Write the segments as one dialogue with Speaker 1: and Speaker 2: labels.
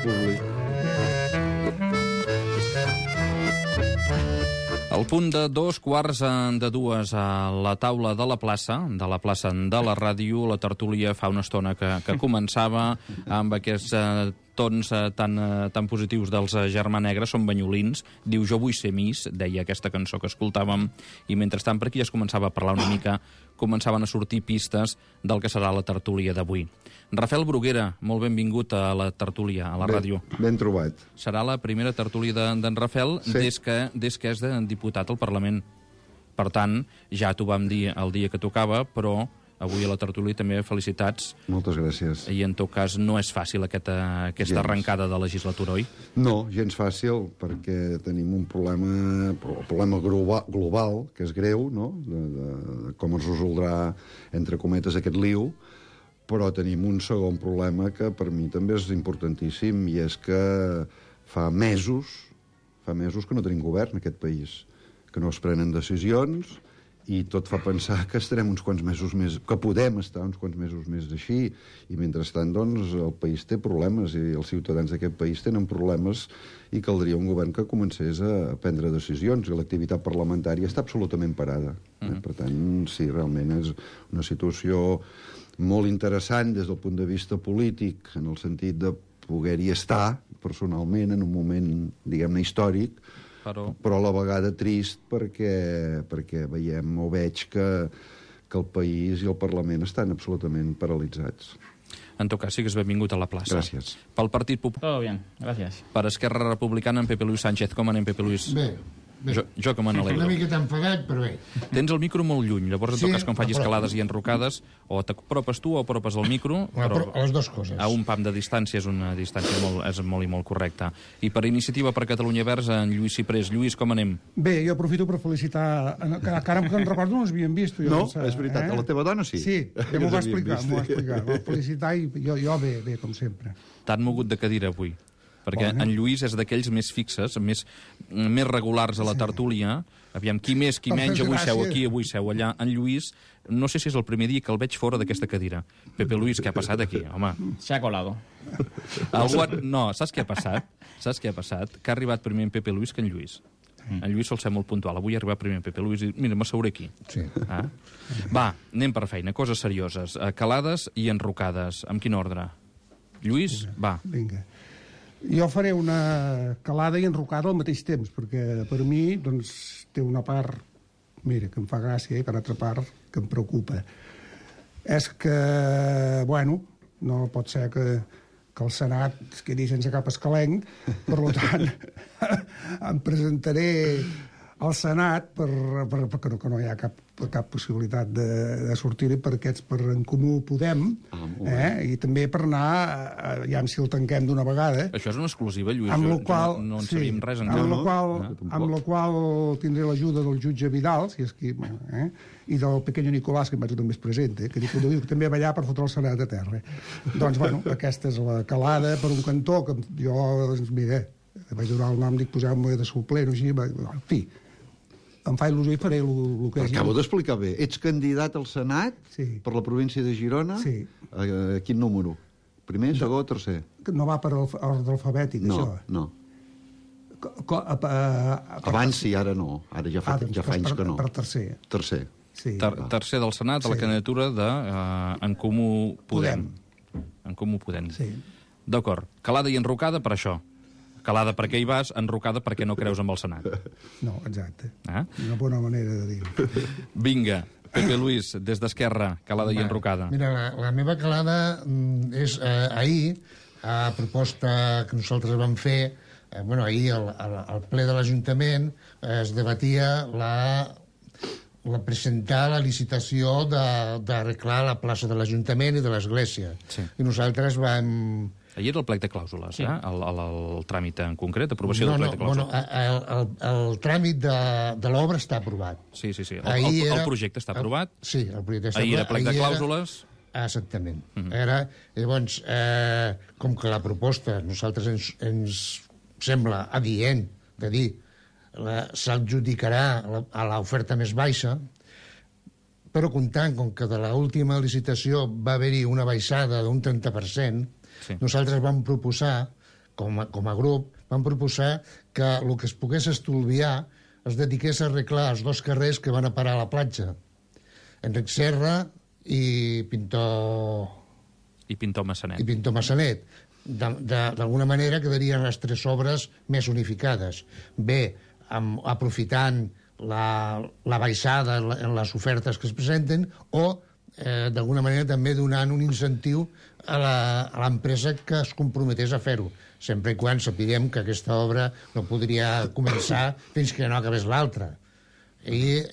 Speaker 1: públic.
Speaker 2: Al punt de 2:15 a la taula de la plaça de la ràdio, la tertúlia fa una estona que començava amb aquests tons tan positius dels Germà Negra, són banyolins, diu jo vull ser Miss, deia aquesta cançó que escoltàvem, i mentrestant per aquí ja es començava a parlar una mica, començaven a sortir pistes del que serà la tertúlia d'avui. Rafael Bruguera, molt benvingut a la tertúlia, a la ràdio.
Speaker 1: Ben trobat.
Speaker 2: Serà la primera tertúlia d'en Rafael
Speaker 1: Sí.
Speaker 2: des que és de diputat al Parlament. Per tant, ja t'ho vam dir el dia que tocava, però avui a la tertúlia també felicitats.
Speaker 1: Moltes gràcies.
Speaker 2: I en tot cas no és fàcil aquesta
Speaker 1: Gens.
Speaker 2: arrencada de legislatura, oi?
Speaker 1: No, gens fàcil, perquè tenim un problema global, que és greu, no?, de com es resoldrà, entre cometes, aquest liu, però tenim un segon problema que per mi també és importantíssim, i és que fa mesos que no tenim govern en aquest país, que no es prenen decisions, i tot fa pensar que estarem uns quants mesos més, que podem estar uns quants mesos més així, i mentrestant, doncs, el país té problemes, i els ciutadans d'aquest país tenen problemes, i caldria un govern que comencés a prendre decisions, i l'activitat parlamentària està absolutament parada. Per tant, sí, realment és una situació molt interessant des del punt de vista polític, en el sentit de poder-hi estar personalment en un moment, diguem-ne, històric, però a la vegada trist perquè veiem o veig que el país i el Parlament estan absolutament paralitzats.
Speaker 2: En tot cas, sí que és benvingut a la plaça.
Speaker 1: Gràcies.
Speaker 2: Pel Partit Popular.
Speaker 3: Todo bien, gracias.
Speaker 2: Per Esquerra Republicana, en Pepe Luis Sánchez. Com anem, Pepe Luis?
Speaker 4: Bé.
Speaker 2: Jo que me n'alegro.
Speaker 4: Una miqueta enfadat, però bé.
Speaker 2: Tens el micro molt lluny, llavors en tot cas quan facis calades i enrocades, o t'apropes tu o apropes el micro, però
Speaker 4: les dues coses.
Speaker 2: a un pam de distància és una distància molt i molt correcta. I per Iniciativa per Catalunya Verds, en Lluís Ciprés. Lluís, com anem?
Speaker 5: Bé, jo aprofito per felicitar... Que ara que en recordo no ens havíem vist. Jo,
Speaker 1: No, és veritat, a la teva dona sí.
Speaker 5: Sí, ja m'ho va explicar, Va felicitar i jo bé, com sempre.
Speaker 2: T'han mogut de cadira avui, perquè en Lluís és d'aquells més fixes, més regulars a la tertúlia. Aviam, qui més, qui menys, avui seu aquí, avui seu allà. En Lluís, no sé si és el primer dia que el veig fora d'aquesta cadira. Pepe Luis, què ha passat aquí, home?
Speaker 3: Se ha colado.
Speaker 2: No, saps què ha passat? Que ha arribat primer en Pepe Luis que en Lluís. En Lluís sol ser molt puntual. Avui ha arribat primer en Pepe Luis i mira, m'asseuré aquí.
Speaker 4: Sí.
Speaker 2: Va, anem per feina. Coses serioses. Calades i enrocades. Amb quin ordre? Lluís, va.
Speaker 5: Vinga. Jo faré una calada i enrocada al mateix temps, perquè per mi doncs, té una part, mira, que em fa gràcia, i per altra part que em preocupa. És que, bueno, no pot ser que el Senat es quedi sense cap escalenc, per tant, em presentaré al Senat perquè no hi ha cap possibilitat de sortir-hi per En Comú Podem, i també per anar, ja si el tanquem d'una vegada.
Speaker 2: Això és una exclusiva, Lluís.
Speaker 5: Amb la qual,
Speaker 2: no en sabíem res encara.
Speaker 5: Amb la qual tindré l'ajuda del jutge Vidal, si és qui, i del pequeño Nicolás, que em vaig també es presenta, que també va allà per fotre el Senat a terra. Doncs, bueno, aquesta és la calada per un cantó, que jo, doncs, mira, vaig donar el nom, dic, poseu-me de suplent, així, en fi, em fa il·lusió i faré el que és.
Speaker 1: Acabo d'explicar bé. Ets candidat al Senat per la província de Girona?
Speaker 5: Sí.
Speaker 1: A quin número? Primer, segon o tercer?
Speaker 5: No va per ordre alfabètic, això.
Speaker 1: No. Abans sí, ara no. Ara ja fa anys que no.
Speaker 5: Per tercer.
Speaker 1: Tercer.
Speaker 5: Sí.
Speaker 2: Tercer del Senat a la candidatura de En Comú Podem. En Comú Podem.
Speaker 5: Sí.
Speaker 2: D'acord. Calada i enrocada per això. Calada perquè hi vas, enrocada perquè no creus amb el Senat.
Speaker 5: No, exacte. Una bona manera de dir-ho.
Speaker 2: Vinga, Pepe Luis, des d'Esquerra, calada i enrocada.
Speaker 4: Mira, la meva calada és ahir, a proposta que nosaltres vam fer, ahir al ple de l'Ajuntament es debatia presentar la licitació d'arreglar la plaça de l'Ajuntament i de l'Església.
Speaker 2: Sí.
Speaker 4: I nosaltres vam...
Speaker 2: Ahir era el plec de clàusules, el tràmit en concret, aprovació del plec de clàusules.
Speaker 4: El tràmit de l'obra està aprovat.
Speaker 2: Sí. El projecte està aprovat.
Speaker 4: Sí, el projecte està aprovat.
Speaker 2: Ahir era plec de clàusules.
Speaker 4: Exactament. Llavors, com que la proposta nosaltres ens sembla adient de dir s'adjudicarà a l'oferta més baixa, però comptant com que de l'última licitació va haver-hi una baixada d'un 30%, nosaltres vam proposar com a grup, vam proposar que el que es pogués estalviar es dediqués a arreglar els 2 carrers que van a parar a la platja. Enric Serra i Pintor...
Speaker 2: I Pintor Massanet.
Speaker 4: I Pintor Massanet. D'alguna manera quedarien les 3 obres més unificades. Bé, aprofitant la baixada en les ofertes que es presenten o, d'alguna manera, també donant un incentiu a l'empresa que es comprometés a fer-ho, sempre i quan sapiguem que aquesta obra no podria començar fins que no acabés l'altra. I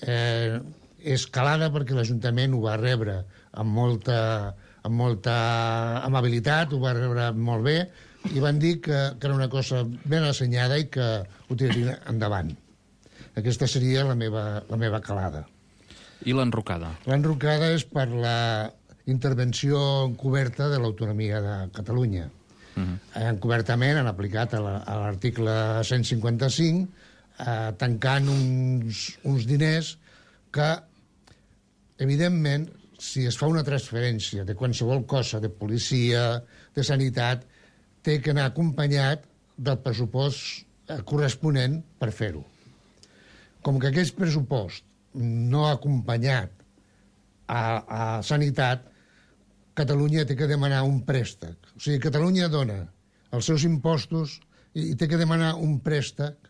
Speaker 4: és calada perquè l'Ajuntament ho va rebre amb molta amabilitat, ho va rebre molt bé, i van dir que era una cosa ben assenyada i que ho tirarien endavant. Aquesta seria la meva calada.
Speaker 2: I l'enrocada?
Speaker 4: L'enrocada és per la intervenció encoberta de l'autonomia de Catalunya. Encobertament han aplicat a l'article 155, tancant uns diners que, evidentment, si es fa una transferència de qualsevol cosa, de policia, de sanitat, té que anar acompanyat del pressupost corresponent per fer-ho. Com que aquest pressupost no ha acompanyat a sanitat, Catalunya té que demanar un préstec. O sigui, Catalunya dona els seus impostos i té que demanar un préstec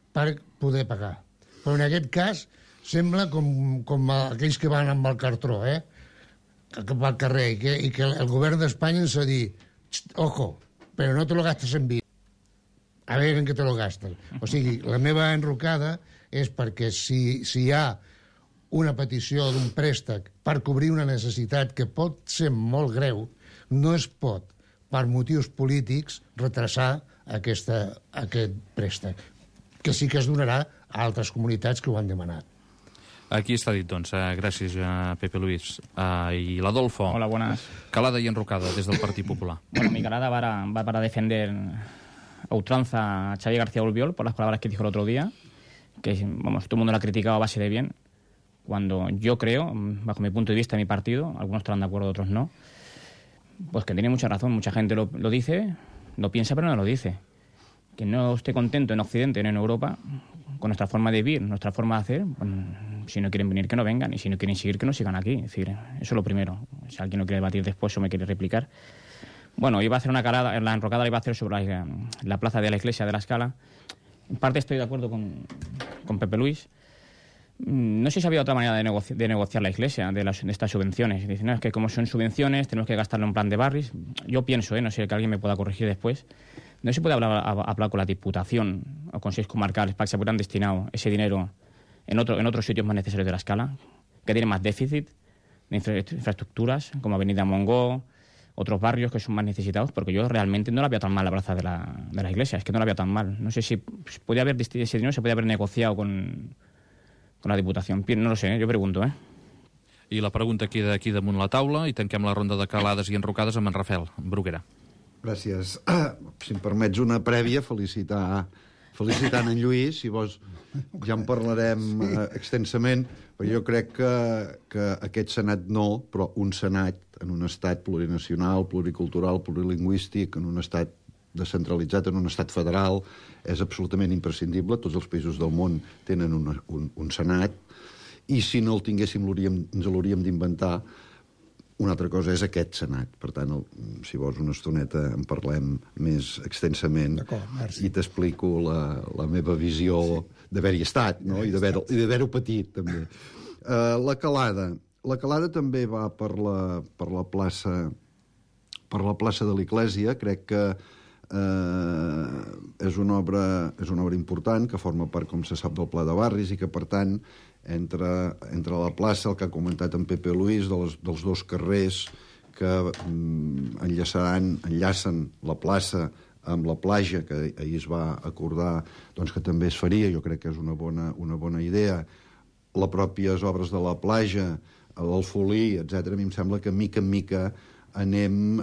Speaker 4: per poder pagar. Però en aquest cas sembla com aquells que van amb el cartró, cap al carrer, i que el govern d'Espanya ens ha dit, ojo, però no te lo gastes en vi. A veure en què te lo gastes. O sigui, la meva enrocada és perquè si hi ha una petició d'un préstec per cobrir una necessitat que pot ser molt greu, no es pot, per motius polítics, retrasar aquest préstec, que sí que es donarà a altres comunitats que ho han demanat.
Speaker 2: Aquí està dit, doncs. Gràcies, Pepe Luis. Y l'Adolfo.
Speaker 3: Hola, buenas.
Speaker 2: Calada y enrocada desde el Partido Popular.
Speaker 3: Bueno, mi calada va para defender a ultranza a Xavi García Albiol por las palabras que dijo el otro día, que, vamos, todo el mundo la ha criticado a base de bien, cuando yo creo, bajo mi punto de vista, mi partido, algunos estarán de acuerdo, otros no, pues que tiene mucha razón. Mucha gente lo dice, lo piensa, pero no lo dice. Que no esté contento en Occidente, no en Europa, con nuestra forma de vivir, nuestra forma de hacer, bueno, si no quieren venir, que no vengan, y si no quieren seguir, que no sigan aquí. Es decir, eso es lo primero. Si alguien lo quiere debatir después o me quiere replicar. Bueno, iba a hacer una calada, la enrocada la iba a hacer sobre la plaza de la iglesia de la Escala. En parte estoy de acuerdo con Pepe Luis. No sé si había otra manera de negociar la iglesia, de estas subvenciones. Dicen, no, es que como son subvenciones, tenemos que gastarlo en plan de barris. Yo pienso, no sé, que alguien me pueda corregir después. No se puede hablar con la Diputación o consejos comarcales para que se puedan destinar ese dinero en otros sitios más necesarios de la Escala, que tienen más déficit de infraestructuras, como Avenida Mongó, otros barrios que son más necesitados, porque yo realmente no la veo tan mal la plaza de la iglesia, es que no la veo tan mal. No sé si podía haber ese dinero, se podía haber negociado con la Diputació. No lo sé, jo pregunto,
Speaker 2: I la pregunta queda aquí damunt la taula i tanquem la ronda de calades i enrocades amb en Rafael Bruguera.
Speaker 1: Gràcies. Si em permets una prèvia, felicitant en Lluís, si vols ja en parlarem extensament, però jo crec que aquest Senat no, però un Senat en un estat plurinacional, pluricultural, plurilingüístic, en un estat descentralitzat, en un estat federal, és absolutament imprescindible. Tots els països del món tenen un Senat, i si no el tinguéssim ens l'hauríem d'inventar. Una altra cosa és aquest Senat. Per tant, si vols una estoneta en parlem més extensament i t'explico la meva visió d'haver-hi estat, no? I d'haver-ho patit, també. La calada també va per la plaça de l'Església. Crec que és una obra important que forma part, com se sap, del Pla de Barris i que, per tant, entre la plaça, el que ha comentat en Pepe Luis, dels 2 carrers que enllacen la plaça amb la platja, que ahir es va acordar doncs, que també es faria. Jo crec que és una bona idea. Les pròpies obres de la platja, l'Alfolí, etc. A mi em sembla que mica en mica anem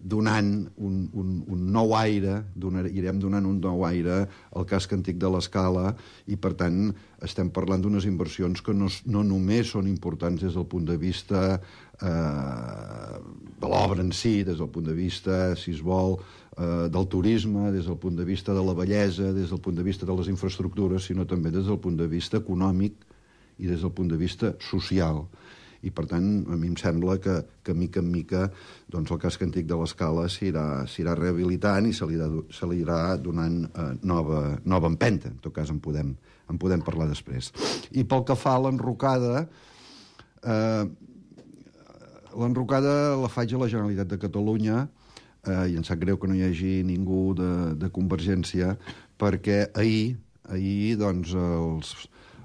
Speaker 1: donant un nou aire, irem donant un nou aire al casc antic de l'Escala, i per tant estem parlant d'unes inversions que no només són importants des del punt de vista de l'obra en si, des del punt de vista, si es vol, del turisme, des del punt de vista de la bellesa, des del punt de vista de les infraestructures, sinó també des del punt de vista econòmic i des del punt de vista social. I, per tant, a mi em sembla que mica en mica doncs, el casc antic de l'Escala s'irà rehabilitant i se li irà donant nova empenta. En tot cas, en podem parlar després. I pel que fa a l'enrocada, la faig a la Generalitat de Catalunya, i em sap greu que no hi hagi ningú de Convergència, perquè ahir doncs,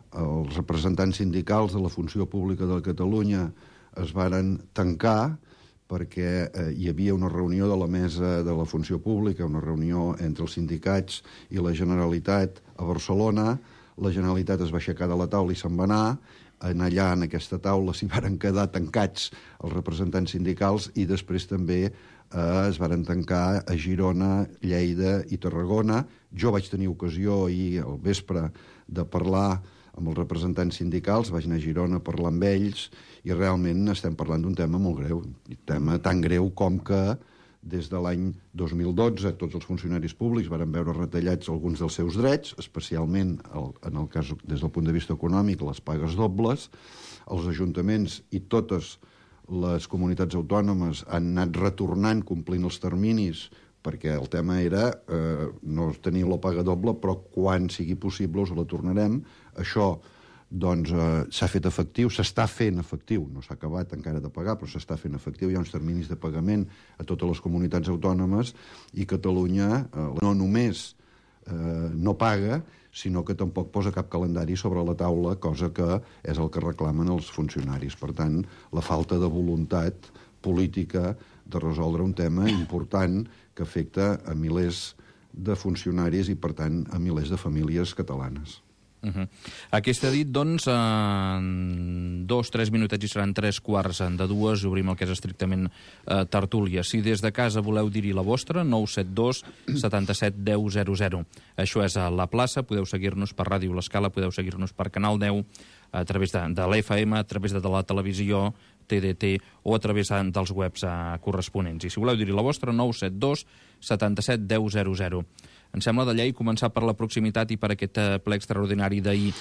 Speaker 1: els representants sindicals de la funció pública de Catalunya es varen tancar perquè hi havia una reunió de la mesa de la funció pública, una reunió entre els sindicats i la Generalitat a Barcelona. La Generalitat es va aixecar de la taula i se'n va anar. Allà, en aquesta taula, s'hi varen quedar tancats els representants sindicals i després també es varen tancar a Girona, Lleida i Tarragona. Jo vaig tenir ocasió ahir al vespre de parlar amb els representants sindicals, vaig anar a Girona a parlar amb ells i realment estem parlant d'un tema molt greu, un tema tan greu com que des de l'any 2012 tots els funcionaris públics varen veure retallats alguns dels seus drets, especialment, en el cas des del punt de vista econòmic, les pagues dobles. Els ajuntaments i totes les comunitats autònomes han anat retornant complint els terminis perquè el tema era no tenir la paga doble, però quan sigui possible us la tornarem. Això doncs s'ha fet efectiu, s'està fent efectiu, no s'ha acabat encara de pagar, però s'està fent efectiu, hi ha uns terminis de pagament a totes les comunitats autònomes i Catalunya no només no paga, sinó que tampoc posa cap calendari sobre la taula, cosa que és el que reclamen els funcionaris. Per tant, la falta de voluntat política de resoldre un tema important que afecta a milers de funcionaris i, per tant, a milers de famílies catalanes.
Speaker 2: Aquesta dit, doncs, 2-3 minutets i seran 3:15 obrim el que és estrictament tertúlia. Si des de casa voleu dir-hi la vostra, 972 77 10 00. Això és a la plaça, podeu seguir-nos per Ràdio L'Escala, podeu seguir-nos per Canal 10, a través de l'FM, a través de la televisió, TDT, o a través dels webs corresponents. I si voleu dir-hi la vostra, 972 77 10 00. Em sembla de llei començar per la proximitat i per aquest ple extraordinari d'ahir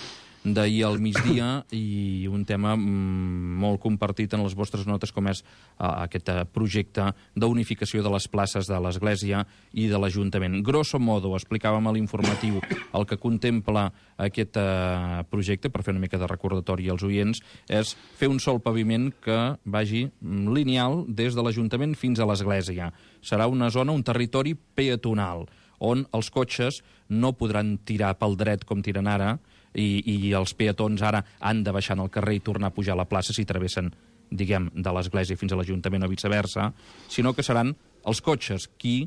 Speaker 2: al migdia, i un tema molt compartit en les vostres notes, com és aquest projecte d'unificació de les places de l'Església i de l'Ajuntament. Grosso modo, explicàvem a l'informatiu el que contempla aquest projecte, per fer una mica de recordatori als oients, és fer un sol paviment que vagi lineal des de l'Ajuntament fins a l'Església. Serà una zona, un territori peatonal, on els cotxes no podran tirar pel dret com tiren ara, i els peatons ara han de baixar al carrer i tornar a pujar a la plaça si travessen, diguem, de l'Església fins a l'Ajuntament o viceversa, sinó que seran els cotxes qui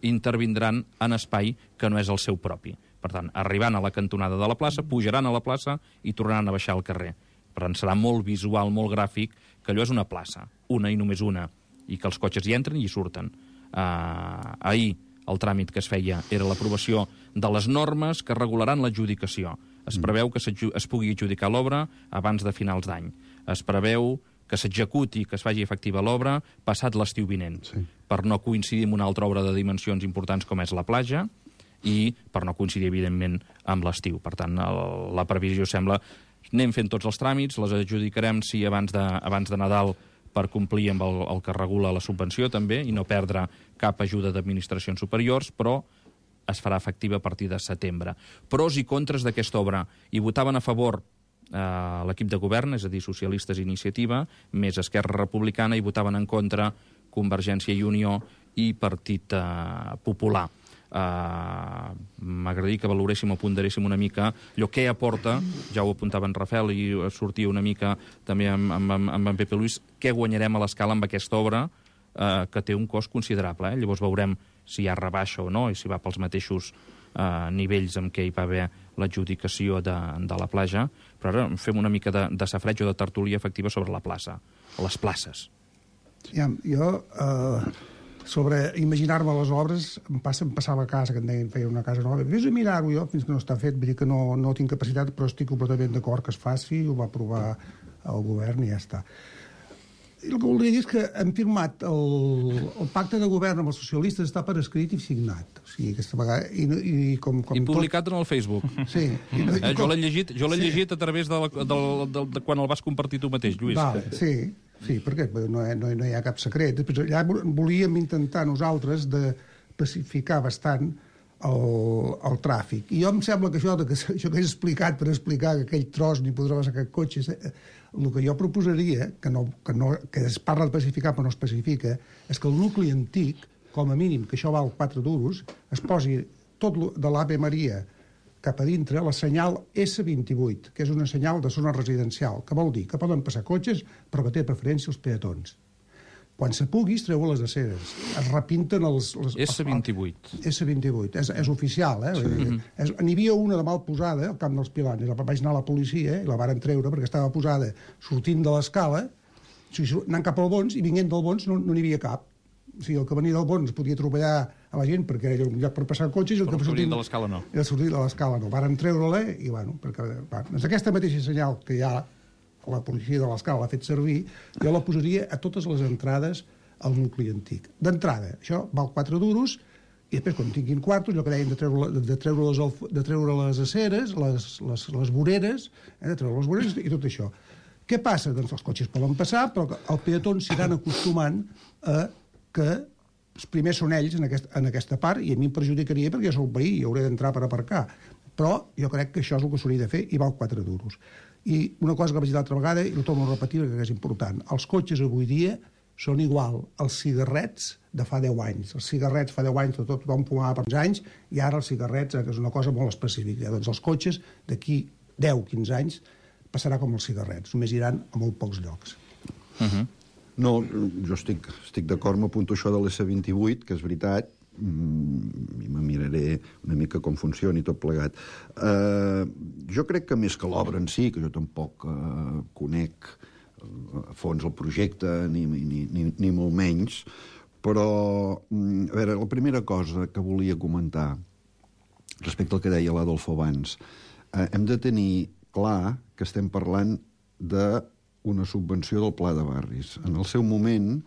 Speaker 2: intervindran en espai que no és el seu propi. Per tant, arribant a la cantonada de la plaça, pujaran a la plaça i tornaran a baixar al carrer. Per tant, serà molt visual, molt gràfic, que allò és una plaça, una i només una, i que els cotxes hi entren i hi surten. Ahir el tràmit que es feia era l'aprovació de les normes que regularan l'adjudicació. Es preveu que es pugui adjudicar l'obra abans de finals d'any. Es preveu que s'executi, que es faci efectiva l'obra passat l'estiu vinent, per no coincidir amb una altra obra de dimensions importants com és la platja i per no coincidir, evidentment, amb l'estiu. Per tant, la previsió sembla anem fent tots els tràmits, les adjudicarem sí abans de Nadal, per complir amb el que regula la subvenció també i no perdre cap ajuda d'administracions superiors, però es farà efectiva a partir de setembre. Pros i contres d'aquesta obra. Hi votaven a favor l'equip de govern, és a dir, Socialistes i Iniciativa, més Esquerra Republicana, i votaven en contra Convergència i Unió i Partit Popular. M'agradaria que valoréssim o ponderéssim una mica allò que aporta, ja ho apuntava en Rafael i sortia una mica també amb en Pepe Luis, què guanyarem a l'Escala amb aquesta obra que té un cost considerable. Llavors veurem si hi ha rebaixa o no i si va pels mateixos nivells amb què hi va haver l'adjudicació de la platja, però ara fem una mica de safreig o de tertúlia efectiva sobre la plaça, les places.
Speaker 5: Jo sobre imaginar-me les obres em passava a casa, que em deien feia una casa nova, vés a mirar-ho jo fins que no està fet, vull dir que no tinc capacitat, però estic completament d'acord que es faci, ho va aprovar el govern i ja està. el que voldria dir és que hem firmat el pacte de govern amb els socialistes, està per escrit i signat. O sigui, aquesta vegada... I
Speaker 2: publicat en el Facebook.
Speaker 5: Sí.
Speaker 2: Jo l'he llegit a través de quan el vas compartir tu mateix, Lluís.
Speaker 5: Sí, perquè no hi ha cap secret. Després, allà volíem intentar nosaltres de pacificar bastant el tràfic. I jo em sembla que això que he explicat per explicar que aquell tros ni podrà passar aquest cotxe, el que jo proposaria, que es parla de pacificar però no es pacifica, és que el nucli antic, com a mínim, que això val 4 duros, es posi tot de l'Ave Maria cap a dintre la senyal S28, que és una senyal de zona residencial, que vol dir que poden passar cotxes però que té preferència els peatons. Quan se pugui, es treu les aceres. Es repinten els
Speaker 2: S28.
Speaker 5: S28. És oficial, eh? Sí. N'hi havia una de mal posada, al Camp dels Pilanes. Vaig anar a la policia i la varen treure perquè estava posada sortint de l'escala, anant cap al Bons, i vinguent del Bons no n'hi havia cap. O sigui, el que venia del Bons podia atropellar a la gent perquè era un lloc per passar cotxes, i el que
Speaker 2: sortint de l'escala no.
Speaker 5: El sortint de l'escala no. Varen treure-la i, bueno, doncs aquesta mateixa senyal que hi ha la policia de l'escala l'ha fet servir, jo la posaria a totes les entrades al nucli antic. D'entrada, això val 4 duros, i després, quan tinguin quartos, allò que deien de treure les aceres, les voreres, de treure les voreres i tot això. Què passa? Doncs els cotxes poden passar, però els peatons s'aniran acostumant a que els primers són ells en aquesta part, i a mi em perjudicaria perquè jo soc veí i hauré d'entrar per aparcar. Però jo crec que això és el que s'hauria de fer i val 4 duros. I una cosa que vaig dir l'altra vegada, i ho torno a repetir perquè és important, els cotxes avui dia són igual als cigarrets de fa 10 anys. Els cigarrets fa 10 anys tothom fumava per uns anys, i ara els cigarrets, que és una cosa molt específica. Doncs els cotxes d'aquí 10-15 anys passarà com els cigarrets, només iran a molt pocs llocs.
Speaker 1: No, jo estic d'acord, m'apunto això de l'S28, que és veritat, i me miraré una mica com funciona i tot plegat. Jo crec que més que l'obra en si, que jo tampoc conec a fons el projecte, ni molt menys, però, a veure, la primera cosa que volia comentar respecte al que deia l'Adolfo abans, hem de tenir clar que estem parlant d'una subvenció del Pla de Barris. En el seu moment,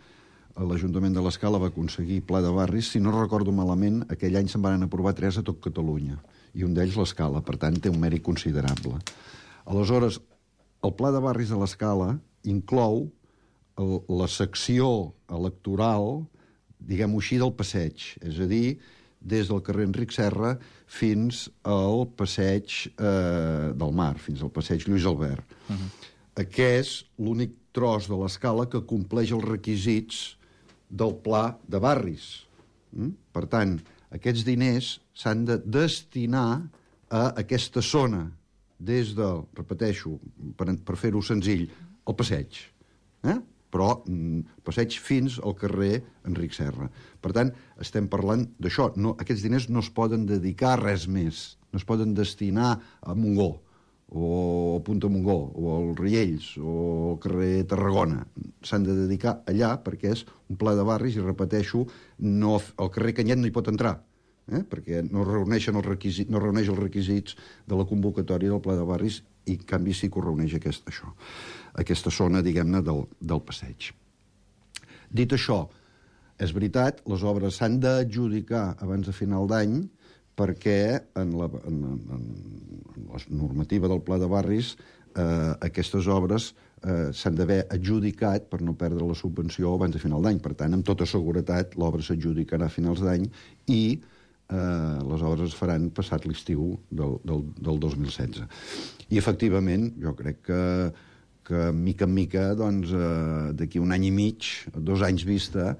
Speaker 1: l'Ajuntament de l'Escala va aconseguir Pla de Barris, si no recordo malament, aquell any se'n van aprovar 3 a tot Catalunya, i un d'ells l'Escala, per tant té un mèrit considerable. Aleshores, el Pla de Barris de l'Escala inclou la secció electoral, diguem-ho així, del passeig, és a dir, des del carrer Enric Serra fins al passeig del Mar, fins al passeig Lluís Albert. Aquest és l'únic tros de l'Escala que compleix els requisits del Pla de Barris. Per tant, aquests diners s'han de destinar a aquesta zona, des del, repeteixo, per fer-ho senzill, el passeig. Però passeig fins al carrer Enric Serra. Per tant, estem parlant d'això. Aquests diners no es poden dedicar a res més. No es poden destinar a Montgó, o Punta Montgó, o al Riells, o al carrer Tarragona. S'han de dedicar allà perquè és un pla de barris, i repeteixo, el carrer Canyet no hi pot entrar, perquè no reuneix els requisits de la convocatòria del pla de barris, i en canvi sí que ho reuneix aquesta zona, diguem-ne, del passeig. Dit això, és veritat, les obres s'han d'adjudicar abans de final d'any, perquè en la normativa del Pla de Barris aquestes obres s'han d'haver adjudicat per no perdre la subvenció abans de final d'any. Per tant, amb tota seguretat, l'obra s'adjudicarà a finals d'any i les obres es faran passat l'estiu del 2016. I, efectivament, jo crec que mica en mica, doncs, d'aquí un any i mig, 2 anys vista,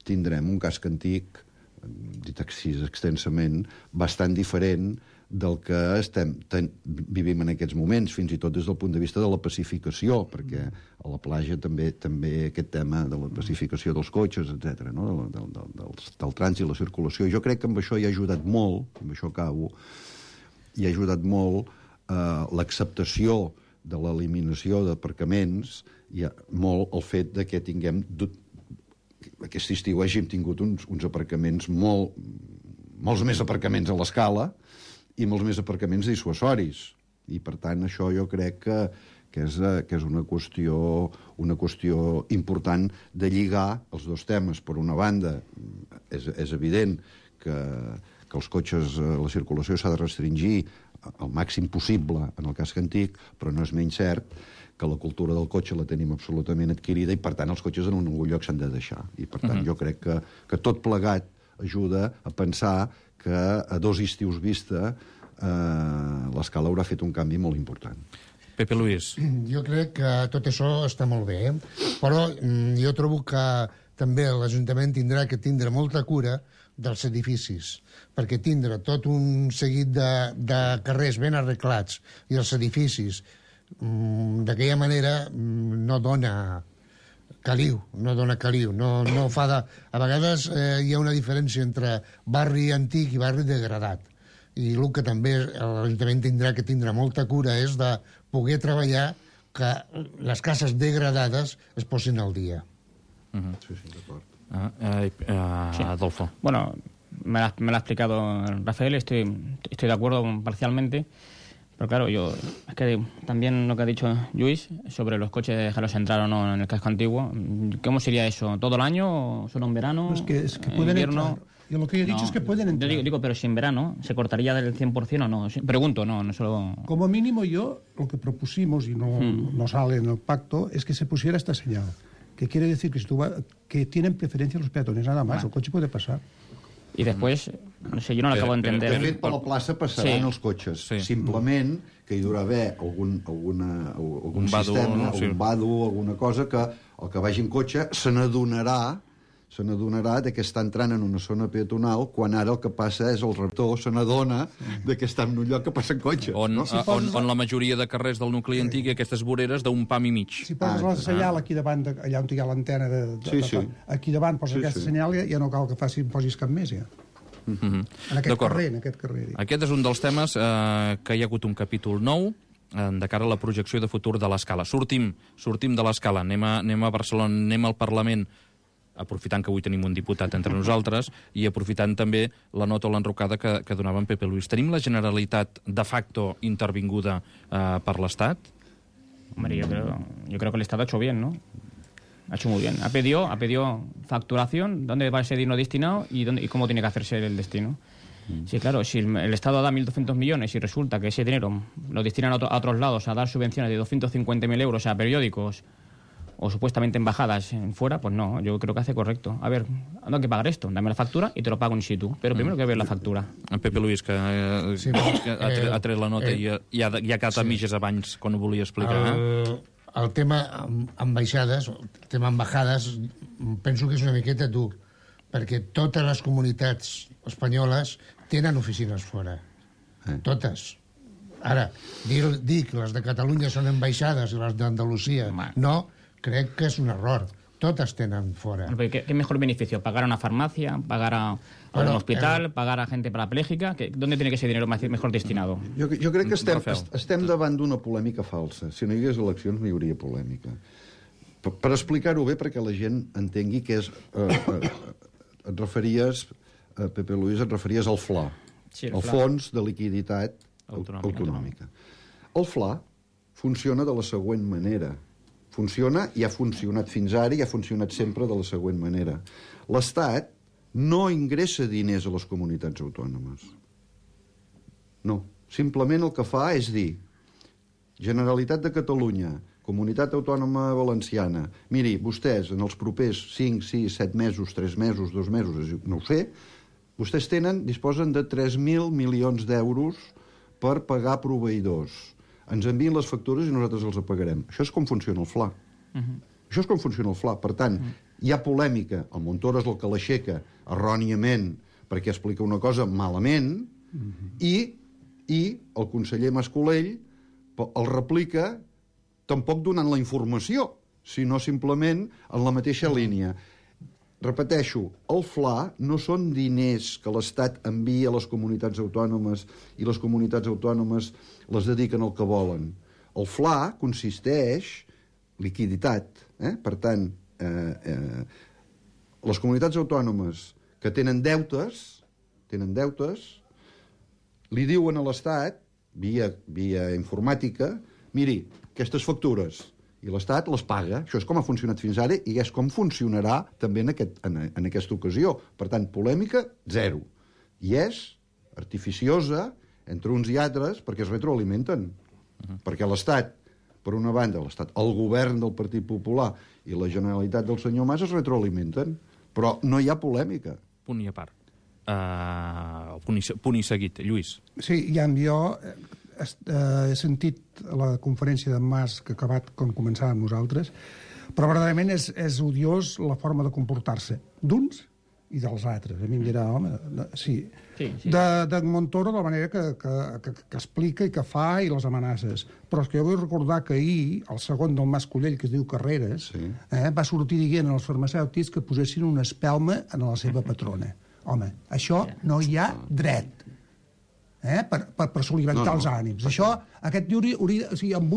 Speaker 1: tindrem un casc antic, dit així extensament, bastant diferent del que vivim en aquests moments, fins i tot des del punt de vista de la pacificació, perquè a la platja també aquest tema de la pacificació dels cotxes, etc., no? del trànsit, la circulació. Jo crec que amb això hi ha ajudat molt, amb això acabo, hi ha ajudat molt l'acceptació de l'eliminació d'aparcaments, i molt el fet que tinguem aquest estiu hàgim tingut uns aparcaments, molts més aparcaments a l'Escala i molts més aparcaments dissuasoris. I, per tant, això jo crec que que és una qüestió important de lligar els dos temes. Per una banda, és evident que els cotxes, la circulació s'ha de restringir al màxim possible en el casc antic, però no és menys cert que la cultura del cotxe la tenim absolutament adquirida i, per tant, els cotxes en algun lloc s'han de deixar. I, per tant, jo crec que tot plegat ajuda a pensar que a 2 estius vista l'escala haurà fet un canvi molt important.
Speaker 2: Pepe Luis.
Speaker 4: Jo crec que tot això està molt bé, però jo trobo que també l'Ajuntament tindrà que tindre molta cura dels edificis, perquè tindre tot un seguit de carrers ben arreglats i els edificis d'aquella manera no dona caliu, no fa de... A vegades hi ha una diferència entre barri antic i barri degradat, i el que també l'Ajuntament tindrà que tindre molta cura és de poder treballar que les cases degradades es posin al dia.
Speaker 1: Sí, d'acord.
Speaker 2: Adolfo.
Speaker 3: Bueno, me lo ha explicado Rafael, estoy de acuerdo parcialmente, pero claro, es que también lo que ha dicho Luis sobre los coches, dejarlos entrar o no en el casco antiguo, ¿cómo sería eso? ¿Todo el año o solo en verano?
Speaker 5: Es que pueden
Speaker 3: invierno?
Speaker 5: entrar. Yo lo que he dicho es que pueden entrar.
Speaker 3: Digo, pero si en verano se cortaría del 100% o no. Pregunto, no solo...
Speaker 5: Como mínimo yo, lo que propusimos, y no sale en el pacto, es que se pusiera esta señal. Que quiere decir que, que tienen preferencia los peatones, nada más. El coche puede pasar.
Speaker 3: I després, no sé, jo no l'acabo d'entendre.
Speaker 1: De fet, per la plaça passaran els cotxes. Simplement que hi haurà haver algun sistema, algun vado, alguna cosa que el que vagi en cotxe se n'adonarà que està entrant en una zona peatonal quan ara el que passa és el rector se n'adona que està en un lloc que passen cotxes.
Speaker 2: On la majoria de carrers del nucli antic i aquestes voreres d'un pam i mig.
Speaker 5: Si poses la senyal aquí davant, allà on hi ha l'antena, aquí davant poses aquesta senyal, ja no cal que posis cap més, ja. En aquest carrer.
Speaker 2: Aquest és un dels temes que hi ha hagut un capítol nou de cara a la projecció de futur de l'Escala. Sortim de l'Escala, anem a Barcelona, anem al Parlament, aprofitant que avui tenim un diputat entre nosaltres i aprofitant també la nota o l'enrocada que donava en Pepe Luis. Tenim la Generalitat de facto intervinguda per l'Estat?
Speaker 3: Hombre, yo creo que el Estado ha hecho bien, ¿no? Ha hecho muy bien. Ha pedido facturación, dónde va ese dinero destinado y cómo tiene que hacerse el destino. Sí, claro, si el Estado da 1.200 millones y resulta que ese dinero lo destinan a otros lados a dar subvenciones de 250.000 euros a periódicos o supuestamente embajadas fuera, pues no, yo creo que hace correcto. A ver, no hay que pagar esto, dame la factura y te lo pago in situ, pero primero que ver la factura.
Speaker 2: En Pepe Luis, que ha tret la nota i ha quedat a mitges abans quan ho volia explicar.
Speaker 4: El tema ambaixades, el tema embajades, penso que és una miqueta dur, perquè totes les comunitats espanyoles tenen oficines fora. Totes. Ara, dir que les de Catalunya són ambaixades i les d'Andalusia no, crec que és un error. Totes tenen fora.
Speaker 3: ¿Qué mejor beneficio? ¿Pagar a una farmacia? ¿Pagar a un hospital? ¿Pagar a gente parapléjica? ¿Dónde tiene que ser dinero mejor destinado?
Speaker 1: Jo crec que estem davant d'una polèmica falsa. Si no hi hagués eleccions no hi hauria polèmica. Per explicar-ho bé, perquè la gent entengui que és... Et referies, Pepe Luis, al FLA, el Fons de Liquiditat Autonòmica. El FLA funciona de la següent manera. Funciona i ha funcionat fins ara i ha funcionat sempre de la següent manera. L'Estat no ingressa diners a les comunitats autònomes. No. Simplement el que fa és dir Generalitat de Catalunya, Comunitat Autònoma Valenciana, miri, vostès en els propers 5, 6, 7 mesos, 3 mesos, 2 mesos, no ho sé, vostès disposen de 3.000 milions d'euros per pagar proveïdors. Ens envien les factures i nosaltres els pagarem. Això és com funciona el FLA. Això és com funciona el FLA. Per tant, hi ha polèmica. El Montoro és el que l'aixeca erròniament perquè explica una cosa malament i el conseller Mas-Colell el replica tampoc donant la informació, sinó simplement en la mateixa línia. Repeteixo, el FLA no són diners que l'Estat envia a les comunitats autònomes i les comunitats autònomes les dediquen al que volen. El FLA consisteix liquiditat. Per tant, les comunitats autònomes que tenen deutes, li diuen a l'Estat, via informàtica, miri, aquestes factures i l'Estat les paga. Això és com ha funcionat fins ara i és com funcionarà també en aquesta ocasió. Per tant, polèmica, zero. I és artificiosa entre uns i altres perquè es retroalimenten. Perquè l'Estat, per una banda, el govern del Partit Popular i la Generalitat del senyor Mas es retroalimenten. Però no hi ha polèmica.
Speaker 2: Punt i a part. Punt i seguit. Lluís.
Speaker 5: Sí, jo he sentit la conferència d'en Mas que ha acabat com començàvem nosaltres, però verdaderament és odiós la forma de comportar-se d'uns i dels altres. A mi em dirà, home, sí. De Montoro, de la manera que explica i que fa i les amenaces. Però és que jo vull recordar que ahir, el segon del Mas Collell, que es diu Carreras, va sortir dient als farmacèutics que posessin una espelma en la seva patrona. Home, això no hi ha dret. Per solimentar els ànims. Això, aquest tio hauria, o sigui, amb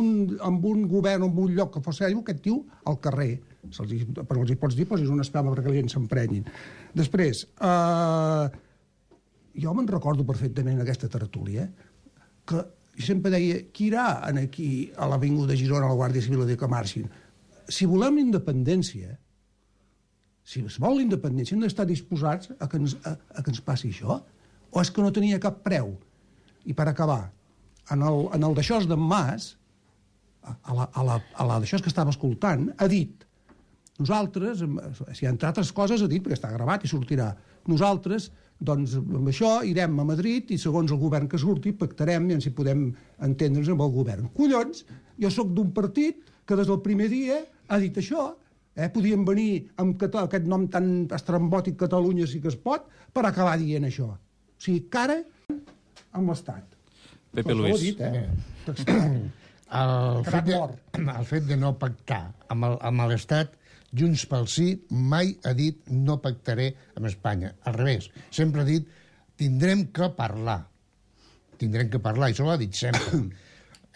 Speaker 5: un govern o en un lloc que fos seriós, aquest tio al carrer. Però els hi pots dir, posis una espelma perquè la gent s'emprenyin. Després, jo me'n recordo perfectament aquesta tertúlia, que jo sempre deia, qui irà aquí a l'Avinguda de Girona, a la Guàrdia Civil, a dir que marxin? Si volem la independència, si es vol la independència, hem d'estar disposats a que ens passi això? O és que no tenia cap preu? I per acabar, en el d'això d'en Mas, a la d'això que estava escoltant, ha dit, nosaltres, si entre altres coses ha dit, perquè està gravat i sortirà, nosaltres, doncs, amb això irem a Madrid i segons el govern que surti pactarem i si podem entendre'ns amb el govern. Collons, jo sóc d'un partit que des del primer dia ha dit això, podien venir amb aquest nom tan estrambòtic Catalunya sí que es pot, per acabar dient això. O sigui, cara amb l'Estat.
Speaker 2: Pepe Luis.
Speaker 5: Dit,
Speaker 4: el fet de no pactar amb l'Estat, Junts pel Sí mai ha dit no pactaré amb Espanya. Al revés, sempre ha dit tindrem que parlar. Tindrem que parlar, i això ho ha dit sempre.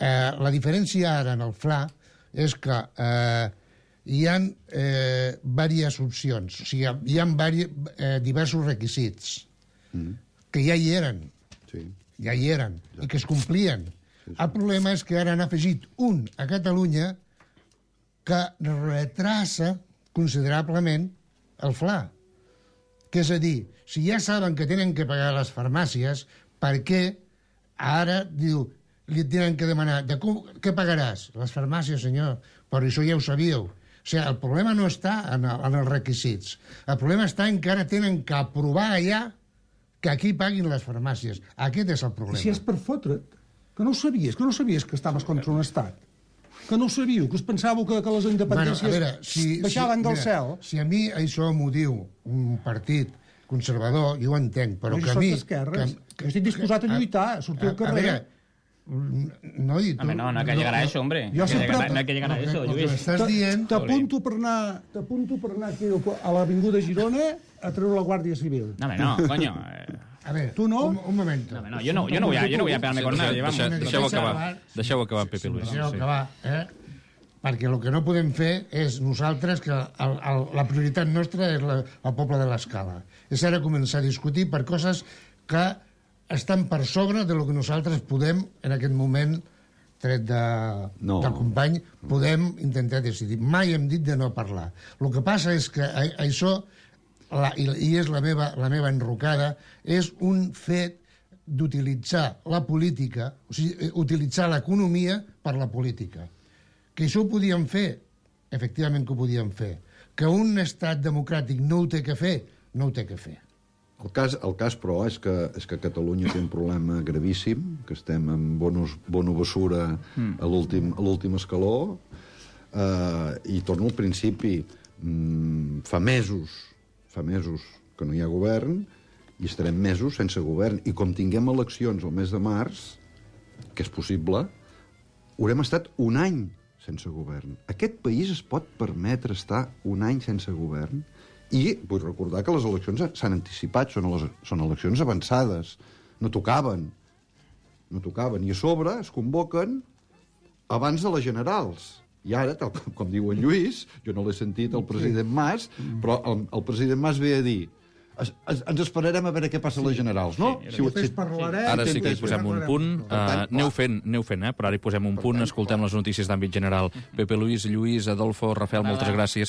Speaker 4: La diferència ara en el FLA és que hi ha diverses opcions, o sigui, hi ha diversos requisits que ja hi eren, i que es complien. El problema és que ara han afegit un a Catalunya que retrasa considerablement el FLA. Que és a dir, si ja saben que tenen que pagar les farmàcies, per què ara diu li tenen que demanar què pagaràs? Les farmàcies, senyor, però això ja ho sabíeu. O sigui, el problema no està en els requisits. El problema està en que ara tenen que aprovar allà que aquí paguin les farmàcies. Aquest és el problema.
Speaker 5: Si és per fotre't, que no ho sabies, que estaves contra un estat. Que no ho sabíeu, que us pensàveu que les independències baixaven del cel.
Speaker 4: Si a mi això m'ho diu un partit conservador, jo ho entenc, però que a mi...
Speaker 5: Jo estic disposat a lluitar, a sortir al carrer.
Speaker 4: A veure, no, i tu...
Speaker 3: No hay que llegar a eso, hombre.
Speaker 5: No
Speaker 3: hay que llegar a eso, Lluís.
Speaker 5: T'apunto per anar aquí a l'Avinguda de Girona a treure la Guàrdia Civil.
Speaker 3: No, coño.
Speaker 4: A ver,
Speaker 5: tu no?
Speaker 4: Un momento.
Speaker 3: No, yo no voy a pegarme con nadie.
Speaker 2: Deixeu acabar, Pepe Luis.
Speaker 4: Deixeu acabar, perquè el que no podem fer és nosaltres, que la prioritat nostra és el poble de l'Escala. És ara començar a discutir per coses que estan per sobre de lo que nosaltres podem, en aquest moment, tret del company, podem intentar decidir. Mai hem dit de no parlar. El que passa és que això, i és la meva enrocada, és un fet d'utilitzar la política, o sigui, utilitzar l'economia per la política. Que això ho podíem fer, efectivament que ho podíem fer. Que un estat democràtic no ho té que fer, no ho té que fer.
Speaker 1: El cas, però, és que Catalunya té un problema gravíssim, que estem en bono basura a l'últim escaló, i torno al principi, fa mesos que no hi ha govern, i estarem mesos sense govern. I com tinguem eleccions el mes de març, que és possible, haurem estat un any sense govern. Aquest país es pot permetre estar un any sense govern? I vull recordar que les eleccions s'han anticipat, són eleccions avançades, no tocaven. I a sobre es convoquen abans de les generals. I ara, tal com diu en Lluís, jo no l'he sentit el president Mas, però el president Mas ve a dir ens esperarem a veure què passa a les generals, no?
Speaker 5: Després parlarem...
Speaker 2: Ara sí que hi
Speaker 5: després
Speaker 2: posem un punt.
Speaker 1: tant,
Speaker 2: Aneu fent, però ara hi posem un punt. Escoltem les notícies d'àmbit general. Pepe Luis, Lluís, Adolfo, Rafael, moltes gràcies.